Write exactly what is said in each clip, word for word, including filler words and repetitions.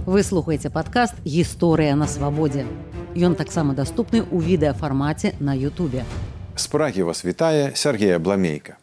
Вы слухаеце падкаст «Гісторыя на свабодзе». Ён таксама даступны ў відэафармаце на Ютубе. З Прагі вас вітае Сергей Абламейка.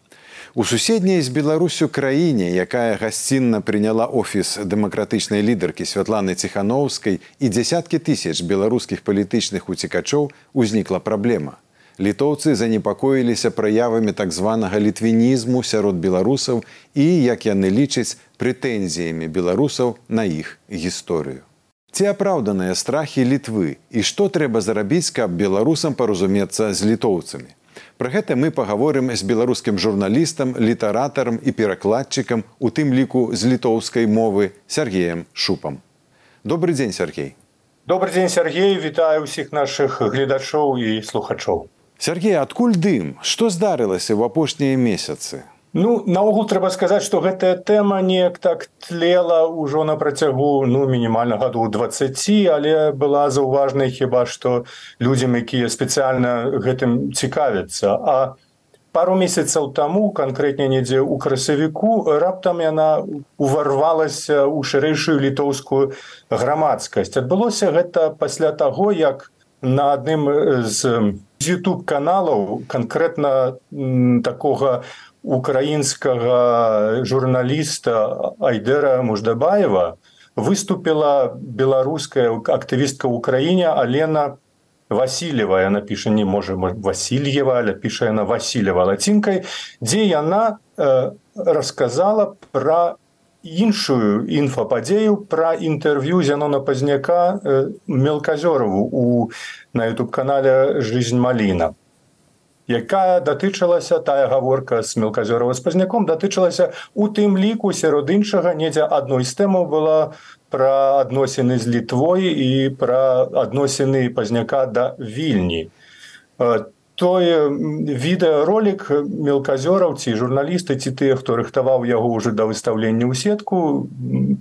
У суседняй з Беларусю краіне, якая гасцінна прыняла офіс дэмакратычнай лідаркі Святланы Ціхановскай і дзясяткі тысяч беларускіх палітычных уцекачоў, узнікла праблема. Літоўцы занепакоіліся праявамі так званага літвінізму сярод беларусаў і, як яны лічаць, прэтэнзіямі беларусаў на іх гісторыю. Ці апраўданыя страхі Літвы і што трэба зрабіць, каб беларусам паразумецца з літоўцамі? Пра гэта мы пагаворым з беларускім журналістам, літаратарам і перакладчыкам, у тым ліку з літоўскай мовы Сергеем Шупам. Добры дзень, Сергей. Добры дзень, Сергей. Вітаю ўсіх нашых гледачоў і слухачоў. Сергей, адкуль дым? Што здарылася ў апошнія месяцы? Ну, наогул трэба сказаць, што гэтая тэма неяк так тлела ўжо на працягу, ну, мінімальна гадоў дваццаці, але была заўважнай хіба што людзям, якія спецыяльна гэтым цікавяцца. А пару месяцаў таму, канкрэтней недзе ў красавіку, раптам яна уварвалася ў шырэйшую літоўскую грамадскасць. Адбылося гэта пасля таго, як на адным з ютуб-каналаў, канкрэтна такога украінскага журналіста Айдэра Муждабаева, выступила беларуская актывістка ў Украіне Алена Васильева. Яна піша не можа Васильева, але піша яна Васильева лацінкай, дзе яна э, расказала пра іншую інфападзею, пра інтэрв'ю Зянона Пазняка э, Мелказёрову у, на ютуб-канале «Жизнь Маліна», якая датычылася, тая гаворка з Мелказёрова з Пазняком, датычылася у тым ліку сярод іншага, недзе адной з тэмаў была пра адносіны з Літвой і пра адносіны Пазняка да Вільні. Той відэаролік мелказёраўцы, журналісты ці тыя, хто рыхтаваў яго ўжо да выстаўлення ў сетку,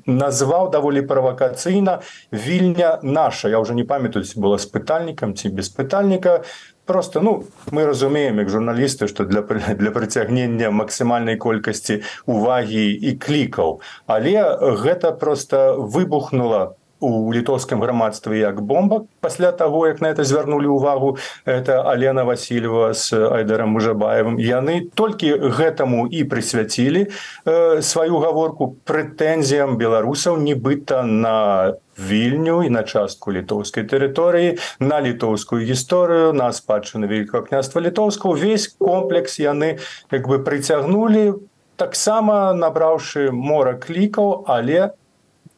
назваў даволі правакацыйна «Вільня наша». Я ўжо не памятаю, ці была з пытальнікам ці без пытальніка. Просто, ну, мы разумеем, як журналісты, што для, для прыцягнення максімальнай колькасці увагі і клікаў. Але гэта просто выбухнула у літоўскім грамадстве як бомба. Пасля таго, як на это звярнулі ўвагу, это Алена Васильева з Айдэрам Муждабаевым, яны толькі гэтаму і прысвяцілі э, сваю гаворку прэтэнзіям беларусаў нібыта на Вільню і на частку літоўскай тэрыторыі, на літоўскую гісторыю, на спадчыну Вялікага княства Літоўскага. Увесь комплекс яны як бы прыцягнулі, таксама набраўшы мора клікаў, але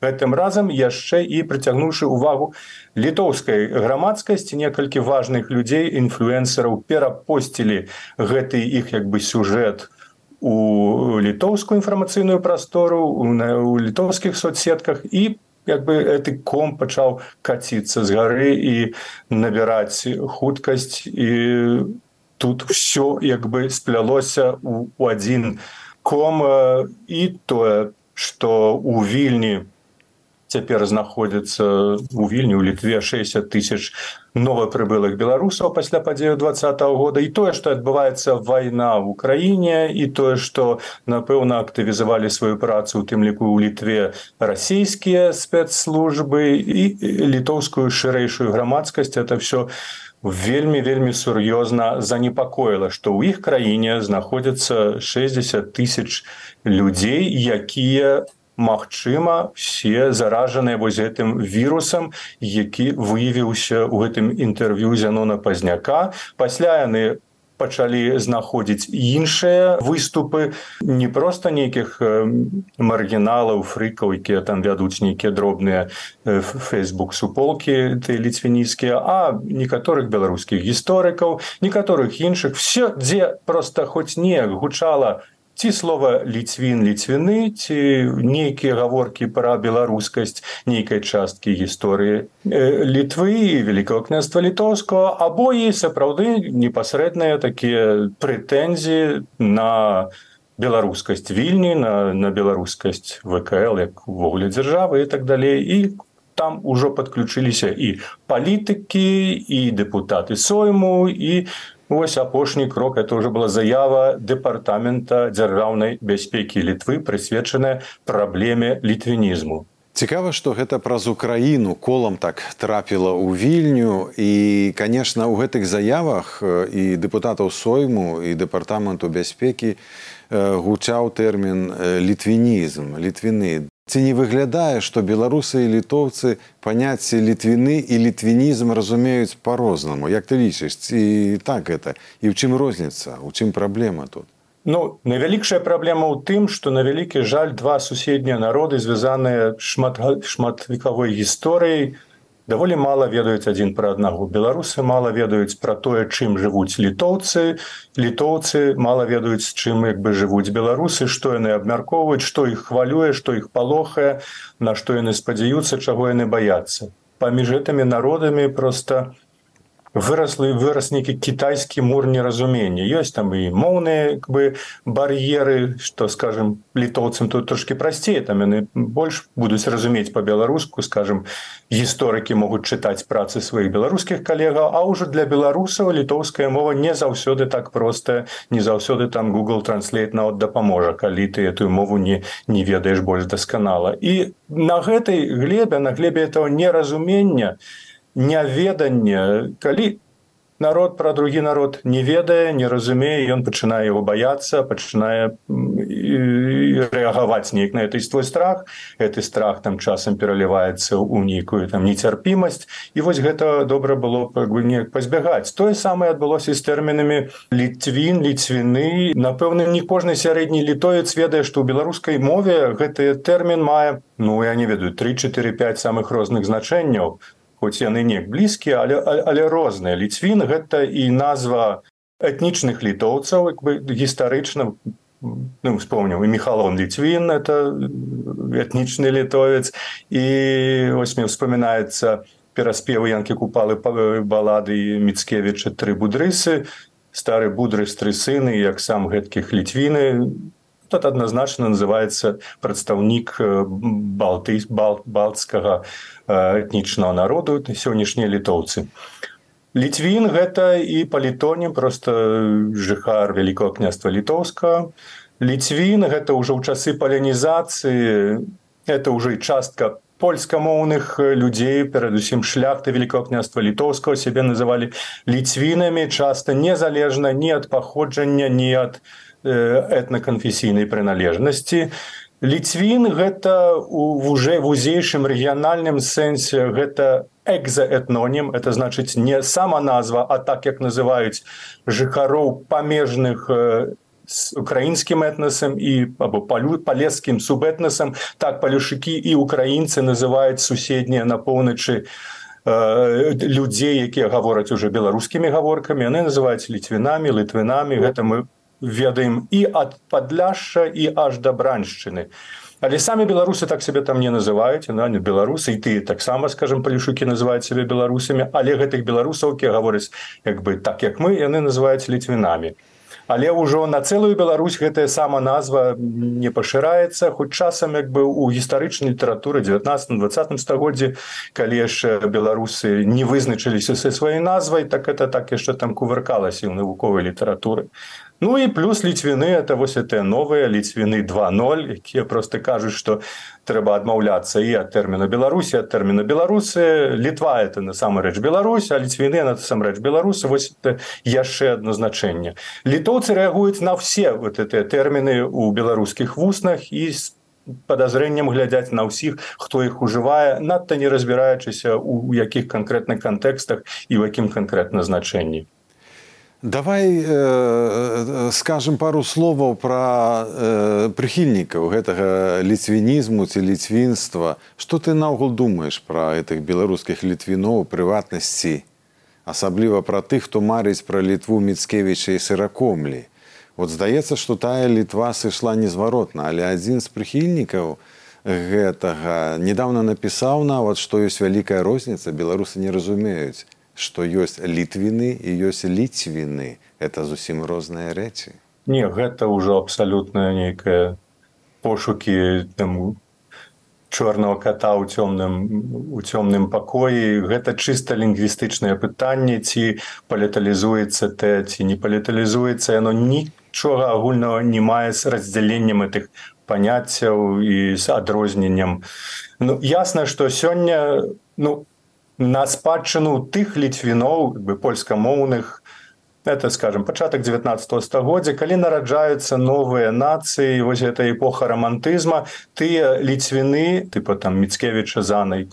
гэтым разам яшчэ і прыцягнуўшы ўвагу літоўскай грамадскасці. Некалькі важных людзей, інфлюэнсараў перапосцілі гэты іх як бы сюжэт у літоўскую інфармацыйную прастору, у літоўскіх соцсетках, і як бы гэты ком пачаў каціцца з гары і набіраць хуткасць. І тут ўсё як бы сплялося у, у адзін ком. І тое, што у Вільні цяпер знаходзіцца у Вільні, у Літве шэсцьдзесят тысяч новапрыбылых беларусаў пасля падзеяў дваццатага года, і тое, што адбываецца вайна ў Украіне, і тое, што, напэўна, актывізавалі сваю працу, у тым ліку ў Літве, расійскія спецслужбы і літоўскую шырэйшую грамадскасць, это ўсё вельмі-вельмі сур'ёзна занепакоіла, што ў іх краіне знаходзіцца шэсцьдзесят тысяч людзей, якія магчыма, все заражаныя вось гэтым вірусам, які выявіўся ў гэтым інтэрв'ю Зянона Пазняка. Пасля яны пачалі знаходзіць іншыя выступы, не проста нейкіх маргіналаў, фрыкаў, якія там вядуць нейкія дробныя фэйсбук-суполкі, ты ліцвініцкія, а некаторых беларускіх гісторыкаў, некаторых іншых. Все, дзе проста хоць неяк гучала ці слова ліцвін, ліцвіны, ці нейкія гаворкі пра беларускасць нейкай часткі гісторыі Літвы і Вялікага княства Літоўскага, або і сапраўды непасрэдныя такія прэтэнзіі на беларускасць Вільні, на, на беларускасць ВКЛ, як увогуле дзяржавы і так далей. І там ужо падключыліся і палітыкі, і дэпутаты Сойму, і вось апошні крок, это уже была заява Дэпартамента дзяржаўнай бяспекі Літвы, прысвечаная праблеме літвінізму. Цікава, што гэта праз Украіну колам так трапіла ў Вільню. І, канешне, у гэтых заявах і дэпутатаў Сойму, і Дэпартаменту бяспекі гучаў тэрмін літвінізм, літвіны. Ці не выглядае, што беларусы і літоўцы паняцці літвіны і літвінізм разумеюць па-рознаму? Як ты лічыш, ці так гэта? І ў чым розніца? У чым праблема тут? Ну, найвялікшая праблема ў тым, што на вялікі жаль два суседнія народы, звязаныя шмат, шматвекавой гісторыяй, даволі мала ведаюць адзін пра аднаго. Беларусы мала ведаюць пра тое, чым жывуць літоўцы, літоўцы мала ведаюць, чым як бы жывуць беларусы, што яны абмяркоўваюць, што іх хвалюе, што іх палохае, на што яны спадзяюцца, чаго яны баяцца. Паміж гэтымі народамі проста выраслі вырас нейкі кітайскі мур неразумення. Ёсць там і моўныя как бы бар'еры, што, скажем, літоўцам тут трошкі прасцей, там яны больш будуць разумець па-беларуску, скажем, гісторыкі могуць чытаць працы сваіх беларускіх калегаў, а ўжо для беларусаў літоўская мова не заўсёды так простая, не заўсёды там Google Translate нават дапаможа, калі ты этую мову не, не ведаеш больш дасканала. І на гэтай глебе, на глебе этого неразумення, няведанне, калі народ пра другі народ не ведае, не разумее, ён пачынае яго баяцца, пачынае рэагаваць неяк на гэты свой страх, гэты страх там часам пераліваецца ў нейкую там нецярпімасць, і вось гэта добра было как бы неяк пазбягаць. Тое самае адбылося з тэрмінамі літвін, ліцвіны. Напэўна, не кожны сярэдні літоец ведае, што ў беларускай мове гэты тэрмін мае, ну я не ведаю, тры, чатыры, пяць самых розных значэнняў. Хоць яны неяк блізкія, але, але розныя. Ліцвін – гэта і назва этнічных літоўцаў, як бы гістарычна, ну, вспомнил, и Михалон Литвин, это этничный литовец, и ось мне вспоминается пераспевы Янкі Купалы балады Міцкевіча «Тры будрысы», «Стары будрыс, тры сыны», як сам гэткіх Літвіны. Тут однозначно называется прадстаўнік балты, бал, балтскага этнічнага народу, сённяшнія літоўцы. Літвін – гэта і палітонім, просто жыхар Вялікага княства Літоўскага. Літвін – гэта ўжо ў часы палянізацыі, это ўжо і частка польскамоўных людзей, перадусім шляхты Вялікага княства Літоўскага, сябе называлі ліцвінамі, часта незалежна ні ад паходжання, ні ад этнаканфесійнай прыналежнасці. Літвін – гэта ў уже вузейшым рэгіянальным сэнсе, гэта экзаэтнонім, это значыць не сама назва, а так, як называюць жыхароў памежных з украінскім этнасам і або палескім субэтнасам, так палюшыкі і украінцы называюць суседнія на поўначы людзей, якія гавораць уже беларускімі гаворкамі, яны называюць літвінамі, літвінамі, гэта мы ведаем і ад Падляшша, і аж да Браншчыны. Але самі беларусы так сябе там не называюць, яны беларусы, і ты таксама, скажем, палюшукі называюць сябе беларусамі, але гэтых беларусаў, якія гавораць як бы так, як мы, яны называюць літвінамі. Але ўжо на цэлую Беларусь гэтая сама назва не пашыраецца, хоць часам як бы ў гістарычнай літаратуры дзевятнаццатым-дваццатым стагоддзі, калі яшчэ беларусы не вызначыліся са сваёй назвай, так это так яшчэ там кувыркалася ў навуковай літаратуры. Ну і плюс літвіны, это вось гэтыя новыя літвіны два ноль, якія проста кажуць, што трэба адмаўляцца і ад тэрміна Беларусі, ад тэрміна беларусы. Літва – это насамрэч Беларусь, а літвіны – насамрэч беларусы. Вось это яшчэ адно значэнне. Літоўцы рэагуюць на все вот гэтыя тэрміны ў беларускіх вуснах і з падазрэннем глядзяць на ўсіх, хто іх ужывае, надта не разбіраючыся ў якіх канкрэтных кантэкстах і ў якім канкрэтна значэнні. Давай э, скажем пару словаў пра э, прыхільнікаў гэтага ліцвінізму ці ліцвінства. Што ты наогул думаеш пра гэтых беларускіх літвіноў, прыватнасці, асабліва пра тых, хто марыць пра Літву Міцкевіча і Сыракомлі? Вот здаецца, што тая Літва сышла незваротна, але адзін з прыхільнікаў гэтага недавно напісаў нават, што ёсць вялікая розніца, беларусы не разумеюць, што ёсць літвіны і ёсць ліцвіны. Это зусім розныя рэчы. Не, гэта ўжо абсалютна нейкая пошукі там чорнага ката ў цёмным, у цёмным пакоі. Гэта чыста лінгвістычнае пытанне, ці паліталізуецца тэ, ці не паліталізуецца. Яно нічога агульнага не мае з раздзяленнем гэтых паняццяў і з адрозненнем. Ну, ясна, што сёння ну, на спадчыну тых ліцвіноў, бы польскамоўных, это, скажем, пачатак дзевятнаццатага стагоддзя, калі нараджаюцца новыя нацыі, вось гэта эпоха романтызма, тыя ліцвіны, тыпа там Міцкевіча, Занай,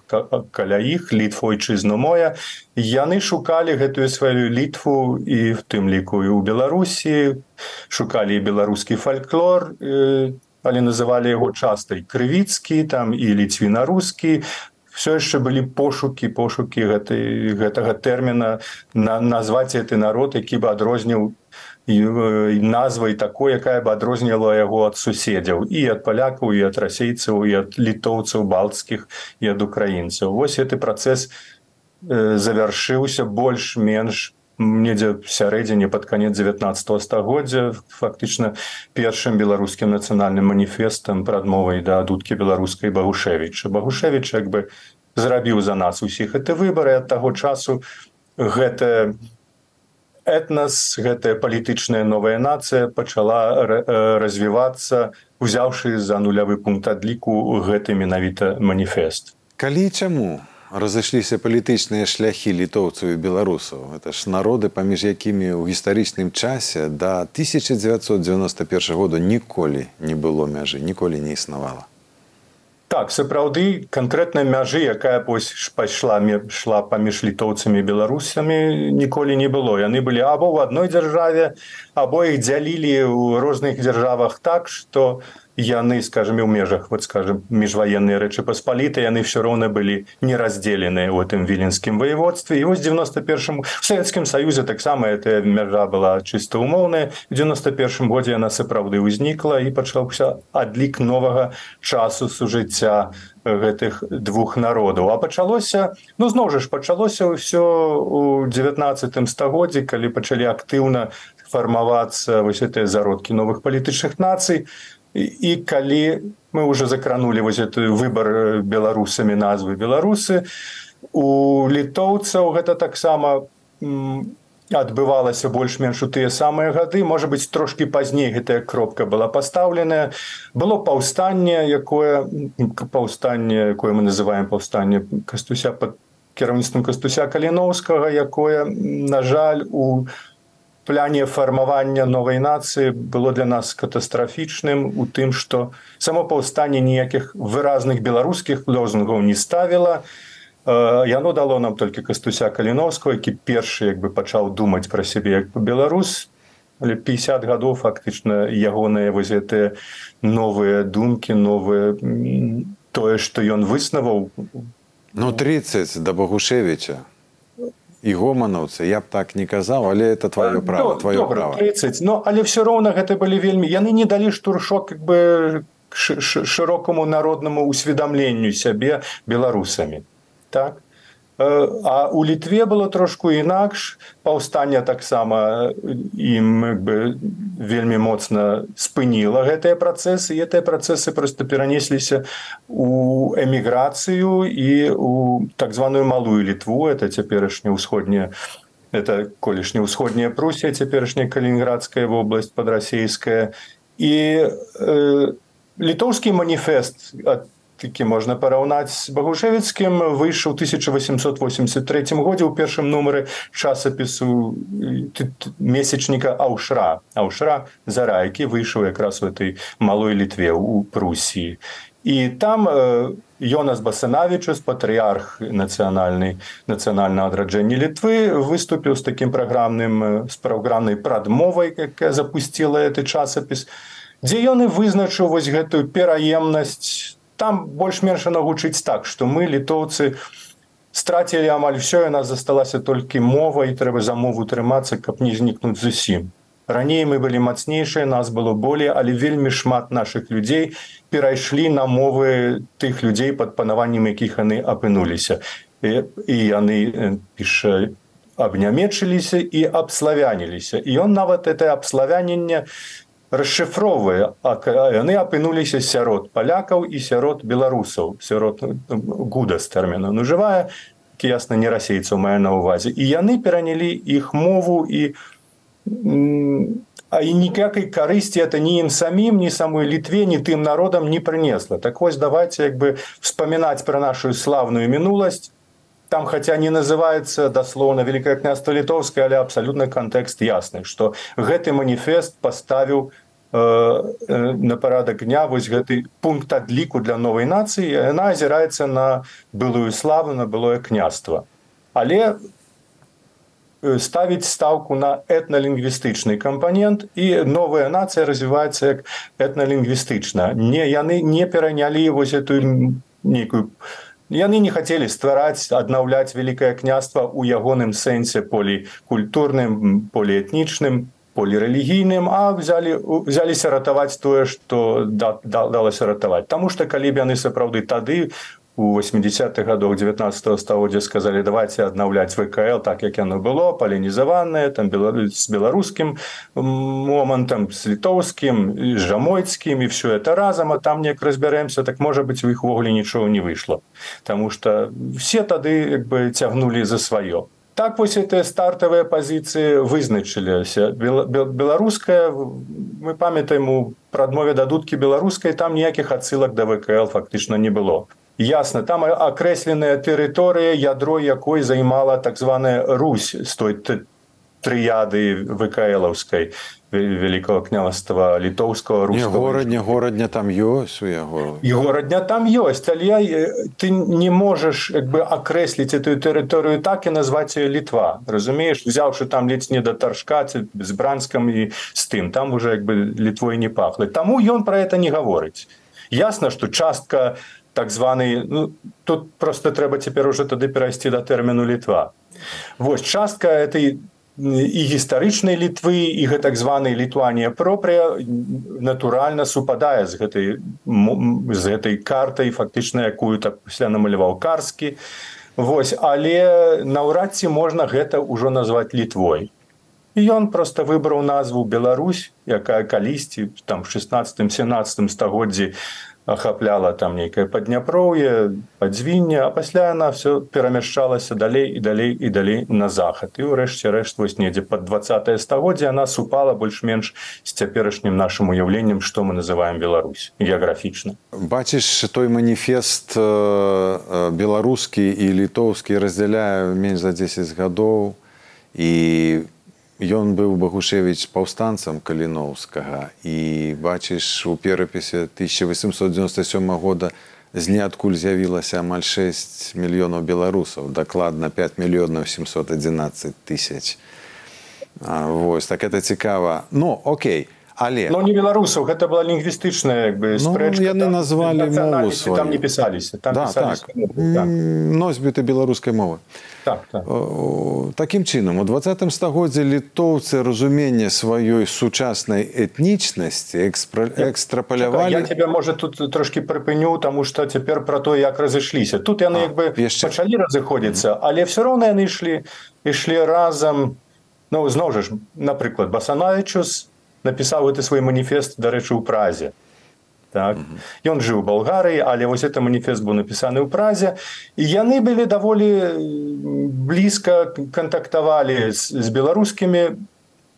каля іх, Літва ойчызна моя, яны шукалі гэтую сваю Літву і в тым ліку і ў Беларусі, шукалі і беларускі фальклор, але называлі яго часта і крывіцкі, там і ліцвіна-рускі. Все яшчэ былі пошукі, пошукі гэтай, гэтага тэрміна, на, назваць гэты народ, які бы адрозніў назвай такой, якая бы адрозніла яго ад суседзяў, і ад палякаў, і ад расейцаў, і ад літоўцаў балтскіх, і ад украінцаў. Вось гэты працэс завяршыўся больш-менш недзе в сярэдзіне пад канец дзевятнаццатага стагоддзя, фактычна першым беларускім нацыянальным маніфестам, прадмовай да дудкі беларускай Багушевіча. Багушевіч як бы зрабіў за нас усіх гэты выбары, ад таго часу гэта этнас, гэтая палітычная новая нацыя пачала развівацца, узяўшы за нулявы пункт адліку гэты менавіта маніфест. Калі і чаму разышліся палітычныя шляхі літоўцаў і беларусаў? Это ж народы, паміж якімі ў гістарычным часе да тысяча дзевяцьсот дзевяноста першага года ніколі не было мяжы, ніколі не існавала. Так, сапраўды, канкрэтнай мяжы, якая пайшла шла паміж літоўцамі і беларусамі, ніколі не было. Яны былі або ў адной дзяржаве, або іх дзялілі ў розных дзяржавах так, што яны, скажем, і ў межах, вот, скажем, міжваенныя Рэчы Паспалітай, яны все роўна былі не раздзеленыя ў гэтым віленскім воеводстве. І вось девяносто першым в Савецкім Саюзе таксама эта мяжа была чыста умоўная. В девяносто першым годзе яна сапраўды ўзнікла і пачаўся адлік новага часу сужыцця гэтых двух народаў. А пачалося, ну зноў жа ж пачалося ўсё ў дзевятнаццатым стагоддзі, калі пачалі актыўна фармавацца вось гэтыя зародкі новых палітычных нацый. І, і калі мы ўжо закранулі вось гэты выбар беларусамі назвы беларусы, у літоўцаў гэта таксама адбывалася больш-менш у тыя самыя гады, можа быць, трошкі пазней гэтая кропка была пастаўленая. Было паўстанне, якое паўстанне, якое мы называем паўстанне Кастуся пад кіраўніцтвам Кастуся Каліноўскага, якое, на жаль, у пляне фармавання новай нацыі было для нас катастрафічным у тым, што само паўстанне ніякіх выразных беларускіх лозунгаў не ставіла. Яно дало нам толькі Кастуся Каліноўскага, які першы як бы пачаў думаць пра сябе як беларус. Але пятьдесят гадоў фактычна ягоныя вось гэтыя новыя думкі, новыя тое, што ён выснаваў. Ну тридцать да Багушевіча. І гоманаўцы, я б так не казаў, але это твоё право, твоё Добра, право. тридцать, но, але все роўна гэта былі вельмі... Яны не далі штуршок как бы шырокаму народнаму усведамленню сябе беларусамі. Так? А у Літве было трошку інакш. Паўстанне таксама ім як бы вельмі моцна спыніла гэтыя працэсы, і гэтыя працэсы проста перанесліся у эміграцыю і у так званую малую Літву, это цяперашняя ўсходняя, это колішняя ўсходняя Прусія, цяперашняя Калінінградская вобласць падрасейская. І э, літоўскі маніфест ад такі можна параўнаць з Багушевіцкім, выйшаў у тысяча восемьсот восемьдесят третьем годзе ў першым нумары часопісу месячніка Аўшра. Аўшра Зара, які выйшаў якраз у этой малой Літве, у Прусіі. І там Йонас Басанавічус, патрыярх нацыянальнай нацыянальнага адраджэння Літвы, выступіў з такім праграмным, з праграмнай прадмовай, якая запусціла гэты часопіс, дзе ён і вызначыў вось гэтую пераемнасць. Там больш-менш гучыць так, што мы, літоўцы, страцілі амаль ўсё, і нас засталася толькі мова, і трэба за мову трымацца, каб не знікнуць зусім. Раней мы былі мацнейшыя, нас было болей, але вельмі шмат нашых людзей перайшлі на мовы тых людзей, пад панаваннем якіх яны апынуліся. І, і яны, піша, абнямечыліся і абславяніліся. І ён нават гэтае абславяненне расшифроўвае, а яны апынуліся сярод палякаў і сярод беларусаў, сярод гудас тэрміна нажывае, які ясна не расейцаў мае на ўвазе. І яны перанялі іх мову і а і ніякай карысці это ні ім самім, ні самой Літве, ні тым народам не прынесла. Так вось давайте як бы вспамінаць пра нашу славную мінуласць. Там, хотя не называется дословно Великое княжество Литовское, але абсолютно контекст ясный, что гэты маніфест поставил э, э, на порядок дня вось гэты пункт адліку для новой нации, и она озирается на былую славу, на былое княжество. Але ставить ставку на этнолингвистичный компонент, и новая нация развивается как этнолингвистична. Не, яны не пераняли вось эту некую... Яны не хотели ствараць, аднаўляць Великое княжество у ягоным сэнсе полікультурным, поліэтнічным, полірэлігійным, а взяли, взяліся ратаваць тое, што да, да, далося ратаваць. Таму што калі б яны сапраўды тады, у восьмидесятых годах девятнадцатого стагоддзя сказали, давайте аднаўляць ВКЛ так, як яно было, палінізаванае, там, с беларускім момантам, с літоўскім, с жамойцкім, и все это разом, а там неяк разберемся, так, может быть, у іх увогуле нічого не вышло. Потому что все тады як бы цягнули за свое. Так вось эти стартовые позиции вызначыліся. Беларуская, мы памятаем у прадмове да дудкі беларускай, там ніякіх адсылак да ВКЛ фактычна не было. Ясно, там окресленная территория, ядро якой займала так званая Русь з той трыяды ВКЛовской, Великого княжества Литовского, Русского. Не, городня, городня там ёсць у яго. И городня там ёсць, але ты не можешь как бы окреслить эту территорию так и назвать ее Литва. Разумеешь, взявши там ледь не до Торжка, с Бранском и с тым, там уже как бы Литвой не пахло. Тому ён про это не говорить. Ясно, что частка так званый, ну, тут просто треба теперь уже тады перайсці до тэрміну Літва. Вось, частка этой і гістарычнай Літвы, і гэтак званай Літуанія пропрыя натуральна супадае з гэтай, з гэтай картай, фактычна, якую так пасля намаляваў Карскі. Вось, але наўрад ці можна гэта ўжо назваць Літвой. І ён просто выбраў назву Беларусь, якая калісьці там в шестнадцатым-сямнадцатым стагоддзі ахапляла там нейкае Падняпроўе, Падзвінне, а пасля яна все перамяшчалася далей і далей і далей на захад. І ўрэшце рэшт вось недзе пад двадцатае стагоддзе яна супала больш-менш з цяперашнім нашым уяўленнем, што мы называем Беларусь геаграфічна. Бачыш, той маніфест беларускі і літоўскі раздзяляе менш за дзесяць гадоў, і ён быў Багушевіч паўстанцам Каліноўскага, і бачыш, у перапісе тысяча восемьсот девяносто седьмого года з ніадкуль з'явілася амаль шесть мільёнаў беларусаў, дакладна пять мільёнаў семьсот одиннадцать тысяч. Вось, так это цікава. Ну, окей. Але... Но не беларусаў, гэта была лінгвістычная як бы, спрэчка. Ну, яны там, назвалі мову сваю. Там не пісаліся. Там да, пісаліся. так. так. Носьбіты беларускай мовы. Так, так. Такім чынам, у двадцатым стагоддзі літоўцы разуменне сваёй сучаснай этнічнасці экспра... экстрапалявалі... Я тебе, можа, тут трошки прыпыню, таму што цяпер пра то, як разышліся. Тут яны як бы яшчэ... пачалі разыходзіцца, mm-hmm. але все роўна яны ішлі, ішлі разам. Ну, зноў жа, напрыклад, Басанавічус напісаў гэты свой маніфест, дарэчы, у Празе. Так. Mm-hmm. Ён жыў у Балгарыі, але вось гэты маніфест быў напісаны ў Празе, і яны былі даволі блізка кантактавалі з, з беларускімі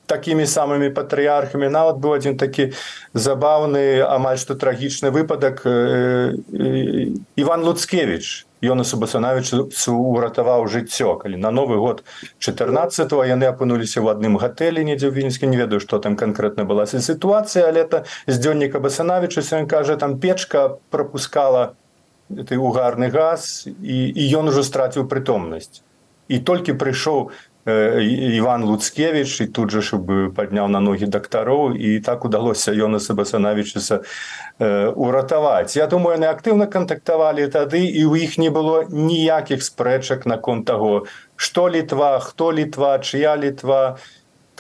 такімі самымі патрыярхамі. Нават быў адзін такі забаўны, амаль што трагічны выпадак. Э, э, Іван Луцкевіч, Йонасу Басанавічу уратаваў жыццё, калі на Новы год чатырнаццатого яны апынуліся ў адным гатэлі недзе ў Вінніцку, не ведаю, што там канкрэтна была сітуацыя, але это з дзённіка Басанавіча, ён кажа, там печка пропускала угарны газ, і, і ён ужо страціў прытомнасць. І толькі прыйшоў Іван Луцкевіч, і тут жа щоб падняў на ногі дактароў, і так удалося Йонаса Басанавічуса э, уратаваць. Я думаю, яны актыўна кантактавалі тады, і ў іх не было ніякіх спрэчак наконт таго, што Літва, хто Літва, чыя Літва,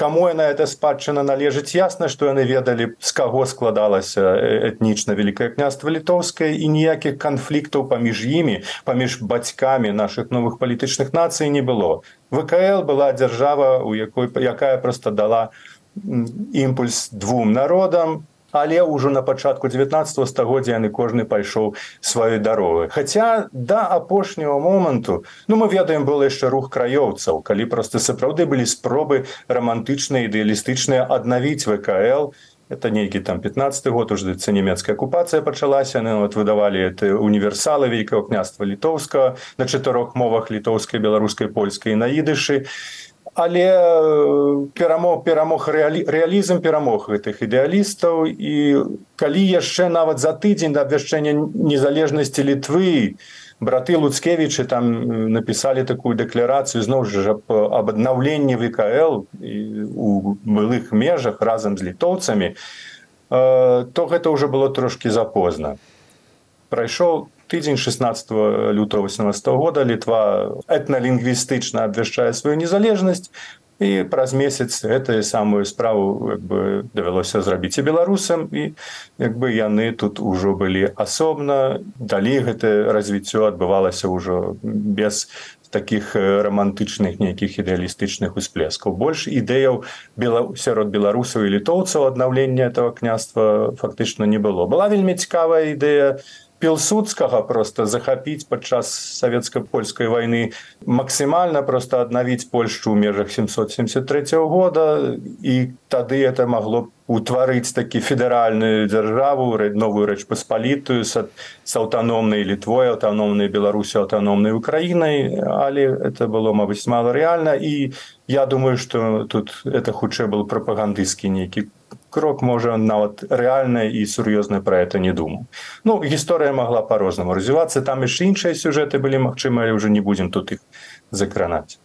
каму яна эта спадчына належыць. Ясна, што яны ведалі, з каго складалася этнічна Великое княжество Літоўскае, і ніякіх канфліктаў паміж імі, паміж бацькамі нашых новых палітычных нацый не было. ВКЛ была дзяржава, у якой, якая проста дала імпульс двум народам, але ўжо на пачатку дзевятнаццатага стагоддзя яны кожны пайшоў сваёй дарогай. Хаця да апошняга моманту, ну мы ведаем, было яшчэ рух краёўцаў, калі проста сапраўды былі спробы рамантычныя, ідэалістычныя аднавіць вэ ка эл. Это нейкі там пятнаццаты год, уже нямецкая акупацыя пачалася, яны вот выдавалі это універсалы Вялікага княства літоўскага на чатырох мовах: літоўскай, беларускай, польскай і на ідышы. Але перамог, перамог рэалі, рэалізм перамог гэтых ідэалістаў, і калі яшчэ нават за тыдзень да абвяшчэння незалежнасці Літвы браты Луцкевічы там напісалі такую дэкларацыю зноў жа аб аднаўленні вэ ка эл у былых межах разам з літоўцамі, то гэта ўжо было трошкі запозна. Прайшоў тыдзень шаснаццатага лютага васемнаццатага года, Літва этналінгвістычна абвяшчае сваю незалежнасць, і праз месяц гэтую самую справу як бы давялося зрабіць і беларусам, і як бы яны тут ужо былі асобна. Далей гэта развіццё адбывалася ўжо без такіх романтычных нейкіх ідэалістычных усплескаў. Больш ідэяў сярод беларусаў і літоўцаў аднаўлення этого княства фактычна не было. Была вельмі цікавая ідэя Пілсудскага просто захапіць падчас савецка-польскай вайны, максімальна просто аднавіць Польшчу ў межах сямсот семьдесят третьего года, і тады это магло утварыць такі федэральную дзяржаву, новую Рэч Паспалітую з аўтаномнай Літвой, аўтаномнай Беларусі, аўтаномнай Украінай, але это было, мабыць, мала рэальна, і я думаю, што тут это хутчэй был прапагандысцкі нейкі крок, можа, нават рэальна і сур'ёзна пра гэта не думаў. Ну, гісторыя магла па-рознаму развівацца, там яшчэ іншыя сюжэты былі магчымы, але ўжо не будзем тут іх закранаць.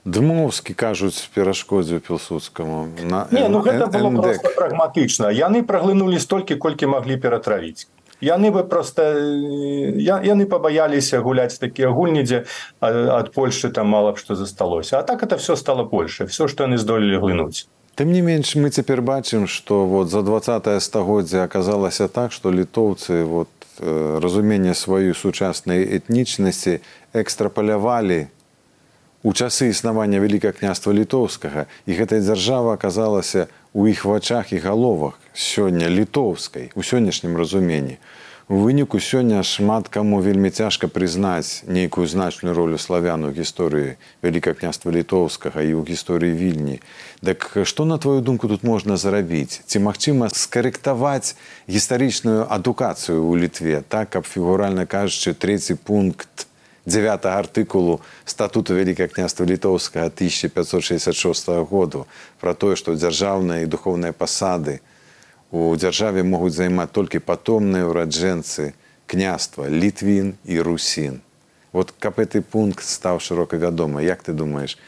Дмоўскі, кажуць, перашкодзіў Пілсудскаму. На... Не, ну гэта было проста прагматычна. Яны праглынулі столькі, колькі маглі ператравіць. Яны бы проста яны пабаяліся гуляць такія гульні, дзе ад Польшчы там мала б што засталося. А так это все стало Польшай, все, што яны здолелі глынуць. Тым не менш, мы цяпер бачым, што вот за двадцатае стагоддзе аказалася так, што літоўцы вот, разуменне сваёй сучаснай этнічнасці экстрапалявалі у часы існавання Вялікага княства літоўскага, і гэтая дзяржава аказалася ў іх вачах і галовах сёння літоўскай, у сённяшнім разуменні. У выніку сёння шмат каму вельмі цяжка прызнаць нейкую значную ролю славян у гісторыі Вялікага княства літоўскага і ў гісторыі Вільні. Так што, на твою думку, тут можна зрабіць? Ці магчыма скарэктаваць гістарычную адукацыю ў Літве, так, каб, фігуральна кажучы, трэці пункт дзявятага артыкулу статуту Вялікага княства літоўскага тысяча пятьсот шестьдесят шестого году пра тое, што дзяржаўныя і духоўныя пасады у дзяржаве могуць займаць толькі патомныя ўраджэнцы княства Літвін і Русін. Вот каб гэты пункт стаў шырока вядомы, як ты думаеш,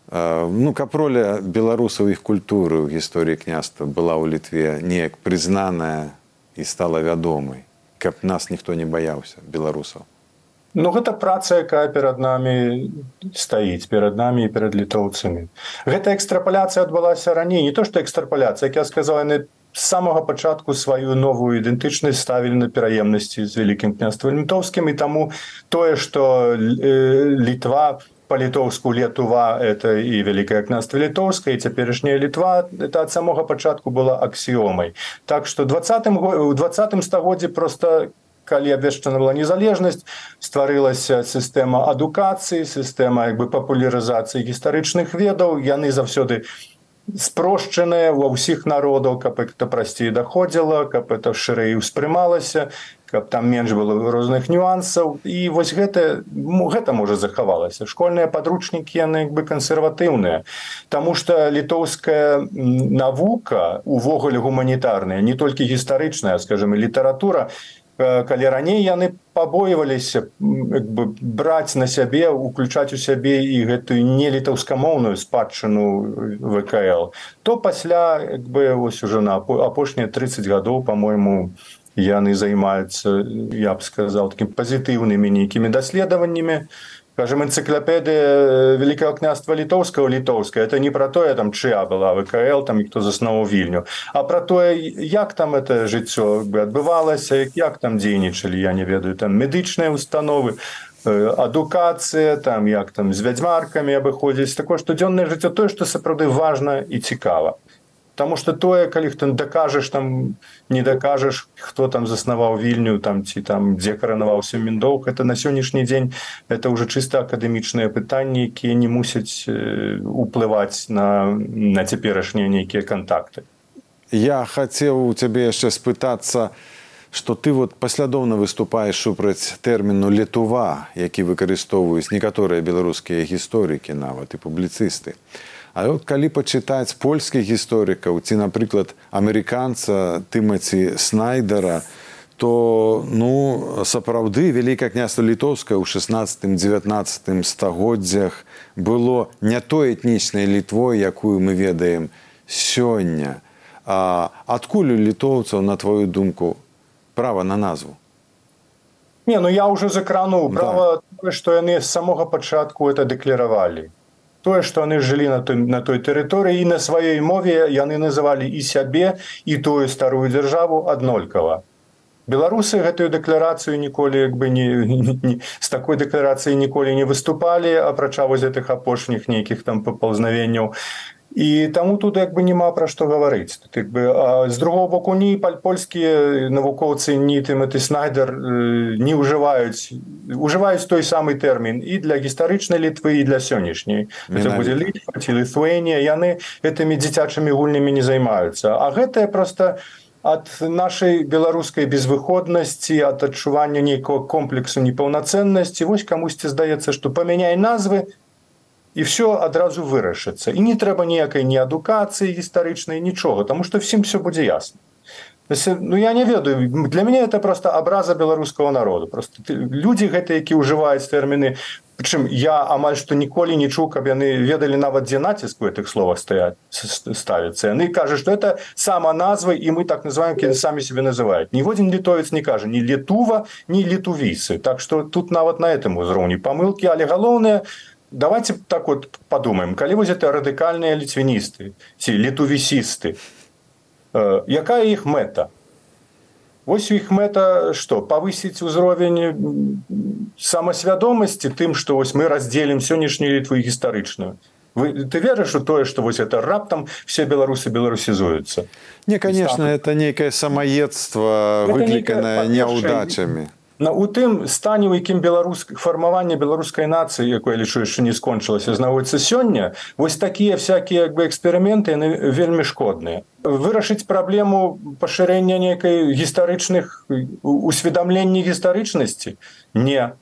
ну, каб роля беларусаў іх культуры ў гісторыі княства была ў Літве неяк прызнаная і стала вядомай, каб нас ніхто не баяўся, беларусаў? Ну, гэта праца, якая перад намі стаіць, перад намі і перад літоўцамі. Гэта экстрапаляцыя адбылася раней, не то што экстрапаляцыя, як я сказаў, яны з самага пачатку сваю новую ідэнтычнасць ставілі на пераемнасці з Вялікім княствам літоўскім, і таму тое, што Літва, па-літоўску Летува, это і Вялікае княства літоўскае, і цяперашняя Літва, это ад самога пачатку была аксіомай. Так што ў двадцатым стагоддзі проста, калі абвешчана была незалежнасць, стварылася сістэма адукацыі, сістэма як бы папулярызацыі гістарычных ведаў, яны заўсёды спрошчаныя ва ўсіх народаў, каб это прасцей даходзіла, каб это шырэй успрымалася, каб там менш было розных нюансаў. І вось гэта, гэта можа захавалася. Школьныя падручнікі, яны як бы кансерватыўныя, таму што літоўская навука, увогуле гуманітарная, не толькі гістарычная, скажем, і літаратура, калі раней яны пабойваліся як бы браць на сябе, уключаць у сябе і гэтую нелітаўскамоўную спадчыну вэ ка эл, то пасля як бы вось уже на апошнія тридцать гадоў, па-мойму, яны займаюцца, я б сказаў, такім пазітыўнымі нейкімі даследаваннямі. Скажем, энцыклапедыя Вялікага княства літоўскага літоўская, это не пра тое, там, чыя была вэ ка эл, там, і хто заснаваў Вільню, а пра тое, як там это жыццё адбывалася, як там дзейнічалі, я не ведаю, там медычныя установы, адукацыя, там, як там з вядзьмаркамі абыходзіць, такое штодзённае жыццё, тое, што сапраўды важна і цікава. Потому что тое, калі ты дакажаш, там, не дакажаш, хто там заснаваў Вільню, там, ці там, дзе каранаваўся Міндоўг, это на сённяшні дзень это ўжо чыста акадэмічныя пытанні, якія не мусяць уплываць на, на цяперашнія нейкія кантакты. Я хацеў у цябе яшчэ спытацца, што ты вот паслядоўна выступаеш супраць тэрміну «летува», які выкарыстоўваюць некаторыя беларускія гісторыкі нават і публіцысты. А от калі пачытаць польскіх гісторыкаў ці, напрыклад, амерыканца Тымаці Снайдера, то, ну, сапраўды Вялікае княства Літоўскае ў шаснаццатым-дзевятнаццатым стагоддзях было не той этнічнай Літвой, якую мы ведаем сёння. А адкуль у літоўцаў, на твою думку, права на назву? Не, ну я ўжо закрануў. Права тое, што яны з самога пачатку это дэкларавалі. Тое, што яны жылі на той, на той тэрыторыі, і на сваёй мове яны называлі і сябе, і тую старую дзяржаву аднолькава. Беларусы гэтую дэкларацыю ніколі, як бы, не, не, з такой дэкларацыяй ніколі не выступалі, апрача вось гэтых апошніх нейкіх там папаўзнавенняў. І таму тут, як бы, няма пра што гаварыць. Тут, як бы, а з другого боку, ні польскія навукоўцы, ні Тымаці Снайдер не ўжываюць, ўжываюць той самы тэрмін і для гістарычнай Літвы, і для сённяшняй. Гэта будзе Літва ці Літвенія, яны гэтымі дзіцячымі гульнямі не займаюцца. А гэта проста ад нашай беларускай безвыходнасці, ад адчування нейкага комплексу непаўнацэннасці. Вось камусьці здаецца, што памяняй назвы, і все адразу вырашыцца. І не трэба ніякай ні адукацыі гістарычнай, нічога, таму што всім все будзе ясна. Ну, я не ведаю, для мяне это просто абраза беларускага народу. Просто людзі гэтыя, які ўжываюць тэрміны, прычым я амаль што ніколі не чуў, каб яны ведалі нават, дзе націск у гэтых словах ставіцца. Яны кажуць, што это сама назва, і мы так называем, які самі себе называюць. Ніводзін літовец не кажа ні Літува, ні літувійцы. Так што тут нават на гэтым узроўні памылкі, але галоўнае, давайте так вот подумаем, калі вось это радыкальныя літвіністы ці літувісісты, э, якая іх мэта? Вось іх мэта што? Павысіць узровень самасвядомасці тым, што вось мы раздзелім сённяшнюю Літву гістарычную. Вы, ты верыш у тое, што вось это раптам все беларусы беларусізуюцца? Не, конечно, это некае самаедства, выкліканае няўдачамі. У тым стане, у якім фармаванне беларускай нацыі, якое, лічу, яшчэ не скончылася, знаходзіцца сёння, вось такія всякія, як бы, эксперыменты, яны вельмі шкодныя. Вырашыць праблему пашырэння нейкай гістарычных усведамлення гістарычнасці? Не.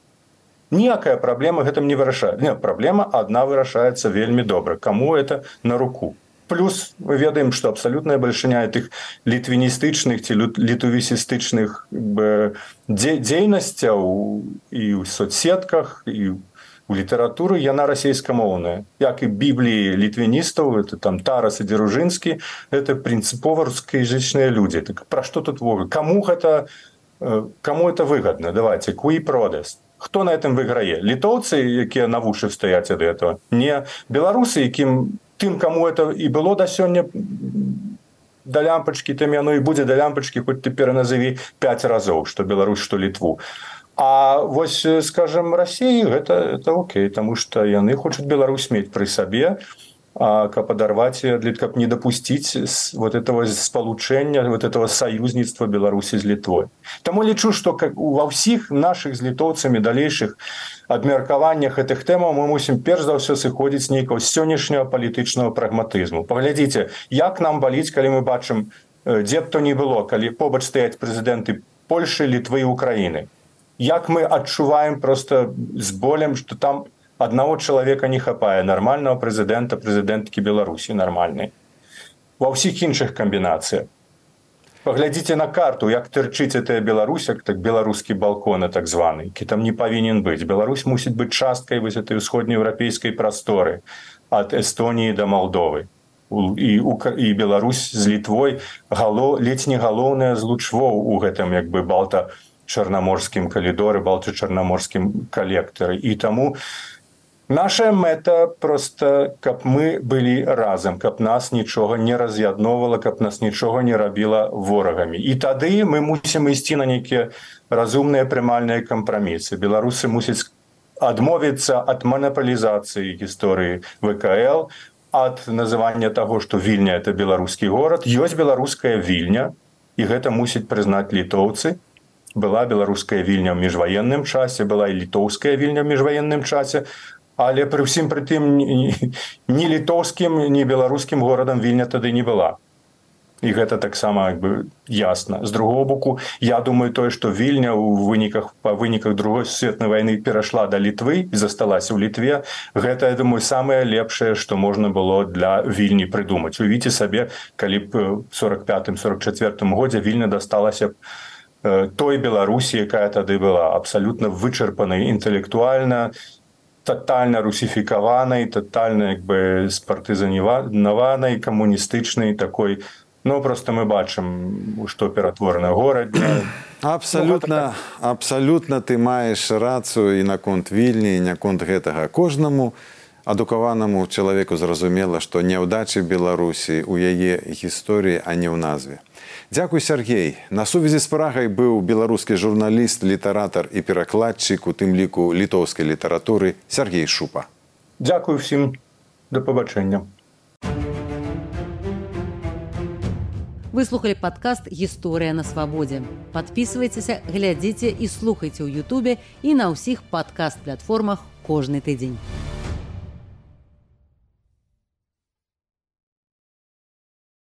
Ніякая праблема гэтым не вырашае. Не, праблема адна вырашаецца вельмі добра. Каму это на руку? Плюс мы ведаем, што абсалютная бальшыня тых літвіністычных ці літувісістычных дзейнасцяў і ў соцсетках, і ў літаратуры, яна расейскамоўная. Як і бібліі літвіністаў, это там Тарас і Дзяружынскі, это прынцыпова рускаязычныя людзі. Так пра што тут вогуле? Каму гэта, каму это выгадна? Давайте, куі продаст. Хто на этом выйграе? Літоўцы, якія на вушы стаяць ад этого? Не. Беларусы, якім тым, каму это і было да сёння да лямпачкі, тым яно і будзе да лямпачкі, хоць ты пераназаві пяць разоў, што Беларусь, што Літву. А вось, скажем, Расіі гэта, это окей, таму што яны хочуць Беларусь мець пры сабе, а каб адарваць, каб не дапусціць вот этого спалучэння, вот этого саюзніцтва Беларусі з Літвой. Таму лічу, што ва ўсіх нашых з літоўцамі далейшых абмеркаваннях гэтых тэмаў мы мусім перш за ўсё сыходзіць нейкага сённяшняга палітычнага прагматызму. Паглядзіце, як нам баліць, калі мы бачым, дзе б то ні было, калі побач стаяць прэзідэнты Польшы, Літвы і Украіны. Як мы адчуваем проста з болем, што там аднаго чалавека не хапае, нармальнага прэзідэнта, прэзідэнткі Беларусі нармальнай. Ва ўсіх іншых камбінацыях. Паглядзіце на карту, як тырчыць гэтая Беларусь, як так беларускі балкон, так званы, які там не павінен быць. Беларусь мусіць быць часткай вось этой усходнееўрапейскай прасторы ад Эстоніі да Малдовы. І, і Беларусь з Літвой гало, ледзь не галоўная з лучвоў у гэтым, як бы, балта-чарнаморскім калідоры, балта-чарнаморскім калектары. І таму наша мэта проста, каб мы былі разам, каб нас нічога не раз'ядноўвала, каб нас нічога не рабіла ворагамі. І тады мы мусім ісці на нейкія разумныя прымальныя кампрамісы. Беларусы мусяць адмовіцца ад манапалізацыі гісторыі вэ ка эл, ад называння таго, што Вільня это беларускі горад. Ёсць беларуская Вільня, і гэта мусіць прызнаць літоўцы. Была беларуская Вільня ў міжваенным часе, была і літоўская Вільня ў міжваенным часе, але пры ўсім пры тым ні, ні літоўскім, ні беларускім горадам Вільня тады не была. І гэта таксама як бы ясна. З другого боку, я думаю тое, што Вільня ў выніках па выніках другой сусветнай вайны перайшла да Літвы і засталася ў Літве. Гэта, я думаю, самае лепшае, што можна было для Вільні прыдумаць. Уявіце сабе, калі б ў сорак пятым сорак чацвёртым годзе Вільня дасталася б той Беларусі, якая тады была абсалютна вычарпанай інтэлектуальна, тотальна русіфікаванай, тотальна як бы спартызанаванай, камуністычнай такой. Ну, просто мы бачым, што ператворана горад. Абсалютна, абсалютна ты маеш рацыю і наконт Вільні, і наконт гэтага. Кожнаму адукаванаму чалавеку зразумела, што няўдачы Беларусі ў яе гісторыі, а не ў назве. Дзякуй, Сяргей. На сувязі з Прагай быў беларускі журналіст, літаратар і перакладчык, у тым ліку літоўскай літаратуры, Сяргей Шупа. Дзякуй усім. Да пабачэння. Вы слухали падкаст «Гісторыя на свабодзе». Падпісвайцеся, глядзіце і слухайце ў Ютубе і на ўсіх падкаст-платформах кожны тыдзень.